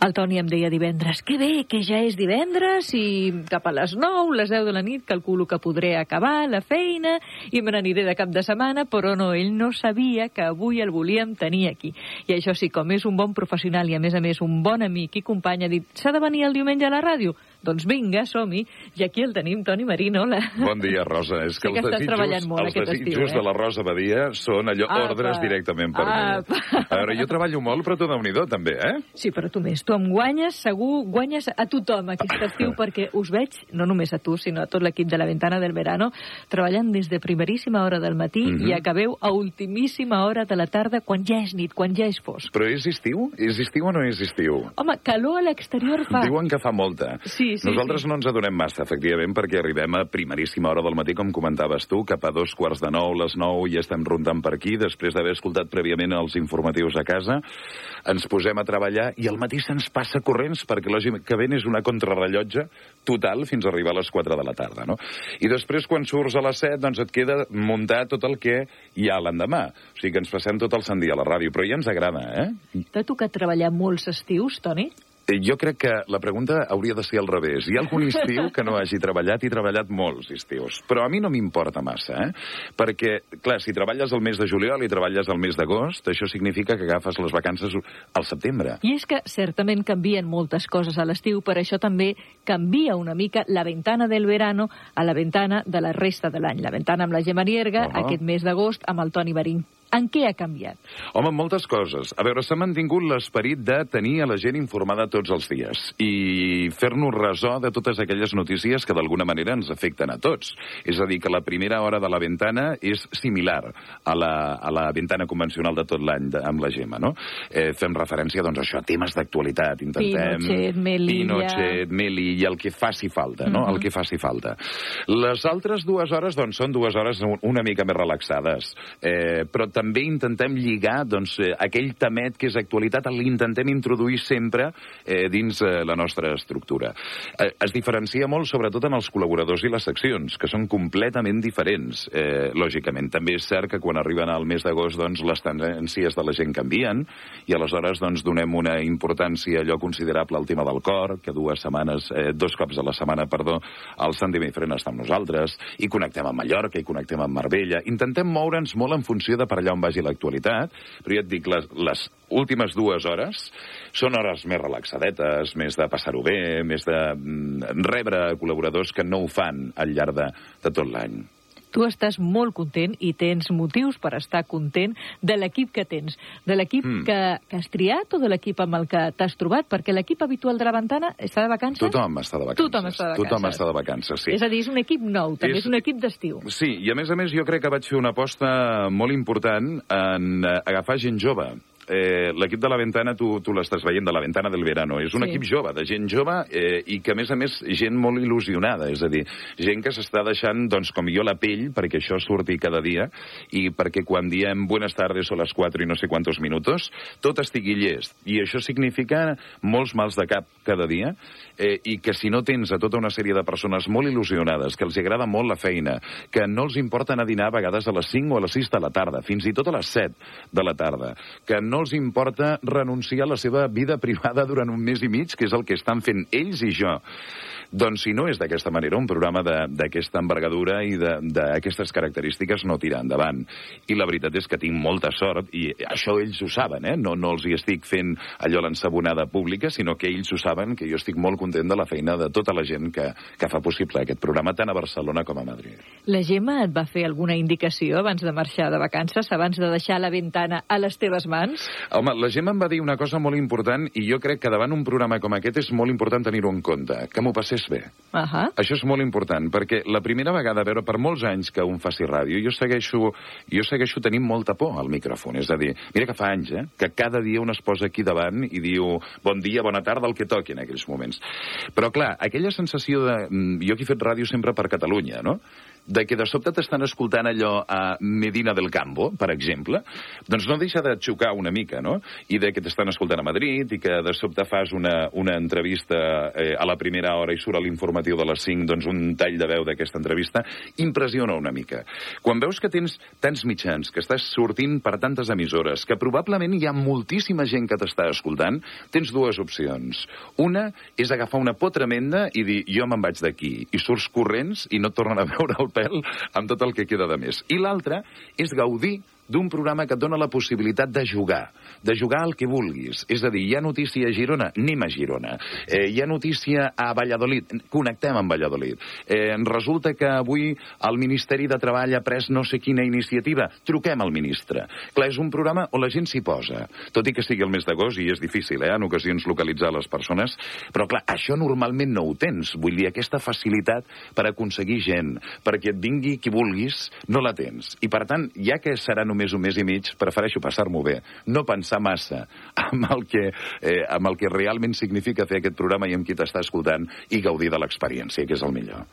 El Toni em deia divendres, que bé, que ja és divendres i cap a les 9, les 10 de la nit, calculo que podré acabar la feina i me n'aniré de cap de setmana, però no, ell no sabia que avui el volíem tenir aquí. I això sí, com és un bon professional i a més un bon amic i company, ha dit, s'ha de venir el diumenge a la ràdio? Doncs vinga, som-hi. I aquí el tenim, Toni Marín, hola. Bon dia, Rosa. És que sí que estàs treballant molt aquest estiu, desitjos de la Rosa Badia són allò ordres directament per mi. A veure, jo treballo molt, però tu déu-n'hi-do, també, eh? Sí, però tu més. Tu em guanyes, segur, guanyes a tothom aquest estiu, perquè us veig, no només a tu, sinó a tot l'equip de la Ventana del Verano, treballant des de primeríssima hora del matí i acabeu a ultimíssima hora de la tarda, quan ja és nit, quan ja és fosc. Però és estiu? És estiu o no és estiu? Home, calor a l'exterior fa. Diuen que fa molta. Sí. Nosaltres no ens adonem massa, efectivament, perquè arribem a primeríssima hora del matí, com comentaves tu, cap a 9:15, les 9, i estem rondant per aquí, després d'haver escoltat prèviament els informatius a casa, ens posem a treballar i al matí se'ns passa corrents, perquè lògicament és una contrarrellotge total fins a arribar a les 4 de la tarda, no? I després, quan surts a les 7, doncs et queda muntar tot el que hi ha l'endemà. O sigui que ens passem tot el sant dia a la ràdio, però ja ens agrada, eh? T'ha tocat treballar molts estius, Toni? Jo crec que la pregunta hauria de ser al revés. Hi ha algun estiu que no hagi treballat i treballat molts estius. Però a mi no m'importa massa, eh? Perquè, clar, si treballes el mes de juliol i treballes el mes d'agost, això significa que agafes les vacances al setembre. I és que certament canvien moltes coses a l'estiu, per això també canvia una mica la Ventana del Verano a la Ventana de la resta de l'any. La Ventana amb la Gemma Nierga, aquest mes d'agost amb el Toni Marín. En què ha canviat? Home, moltes coses. A veure, s'ha mantingut l'esperit de tenir a la gent informada tots els dies i fer-nos ressò de totes aquelles notícies que d'alguna manera ens afecten a tots. És a dir, que la primera hora de la Ventana és similar a la Ventana convencional de tot l'any amb la Gemma, no? Fem referència, doncs, a això, a temes d'actualitat. Intentem... Pinochet, Melilla, el que faci falta, no? El que faci falta. Les altres 2 hores, doncs, són 2 hores una mica més relaxades. Però també intentem lligar, doncs, aquell temet que és actualitat, l'intentem introduir sempre dins la nostra estructura. Es diferencia molt, sobretot, en els col·laboradors i les seccions, que són completament diferents, lògicament. També és cert que quan arriben al mes d'agost, doncs, les tendències de la gent canvien, i aleshores, doncs, donem una importància allò considerable al tema del cor, que 2 cops a la setmana, el Santi Mifrena està amb nosaltres, i connectem amb Mallorca, i connectem amb Marbella. Intentem moure'ns molt en funció de per allà on vagi l'actualitat, però ja et dic, les últimes 2 hores són hores més relaxadetes, més de passar-ho bé, més de rebre col·laboradors que no ho fan al llarg de tot l'any. Tu estàs molt content i tens motius per estar content de l'equip que tens. De l'equip que has triat o de l'equip amb el que t'has trobat? Perquè l'equip habitual de la Ventana està de vacances? Tothom està de vacances. Tothom està de vacances, sí. És a dir, és un equip nou, també és un equip d'estiu. Sí, i a més jo crec que vaig fer una aposta molt important en agafar gent jove. L'equip de la Ventana, tu l'estàs veient, de la Ventana del Verano, és un equip jove, de gent jove, i que, a més, gent molt il·lusionada, és a dir, gent que s'està deixant, doncs, com jo, la pell, perquè això surti cada dia, i perquè quan diem buenas tardes o les 4 i no sé quantos minutos, tot estigui llest. I això significa molts mals de cap cada dia, i que si no tens a tota una sèrie de persones molt il·lusionades, que els agrada molt la feina, que no els importa anar a dinar a vegades a les 5 o a les 6 de la tarda, fins i tot a les 7 de la tarda, que no els importa renunciar a la seva vida privada durant un mes i mig, que és el que estan fent ells i jo. Doncs si no és d'aquesta manera, un programa d'aquesta envergadura i d'aquestes característiques no tira endavant. I la veritat és que tinc molta sort, i això ells ho saben, no els hi estic fent allò l'ensabonada pública, sinó que ells ho saben, que jo estic molt content de la feina de tota la gent que fa possible aquest programa, tant a Barcelona com a Madrid. La Gemma et va fer alguna indicació abans de marxar de vacances, abans de deixar la Ventana a les teves mans? Home, la Gemma em va dir una cosa molt important, i jo crec que davant un programa com aquest és molt important tenir-ho en compte, que m'ho passés bé. Això és molt important, perquè la primera vegada, a veure, per molts anys que un faci ràdio, jo segueixo tenint molta por al micròfon. És a dir, mira que fa anys, que cada dia un es posa aquí davant i diu bon dia, bona tarda, el que toqui en aquells moments. Però, clar, aquella sensació de... Jo que he fet ràdio sempre per Catalunya, no? de que de sobte t'estan escoltant allò a Medina del Campo, per exemple, doncs no deixa de xocar una mica, no? I de que t'estan escoltant a Madrid i que de sobte fas una entrevista a la primera hora i surt a l'informatiu de les 5, doncs un tall de veu d'aquesta entrevista, impressiona una mica. Quan veus que tens tants mitjans, que estàs sortint per tantes emissores, que probablement hi ha moltíssima gent que t'està escoltant, tens dues opcions. Una és agafar una por tremenda i dir, jo me'n vaig d'aquí, i surts corrents i no et tornen a veure el pèl amb tot el que queda de més. I l'altra és gaudir d'un programa que et dona la possibilitat de jugar al que vulguis. És a dir, hi ha notícia a Girona, anem a Girona. Hi ha notícia a Valladolid, connectem amb Valladolid. Resulta que avui el Ministeri de Treball ha pres no sé quina iniciativa, truquem al ministre. Clar, és un programa on la gent s'hi posa, tot i que sigui el mes d'agost, i és difícil, en ocasions, localitzar les persones, però clar, això normalment no ho tens. Vull dir, aquesta facilitat per aconseguir gent, perquè et vingui qui vulguis, no la tens. I per tant, ja que serà només un mes i mig, prefereixo passar-m'ho bé, no pensar massa amb el que realment significa fer aquest programa i amb qui t'està escoltant i gaudir de l'experiència, que és el millor.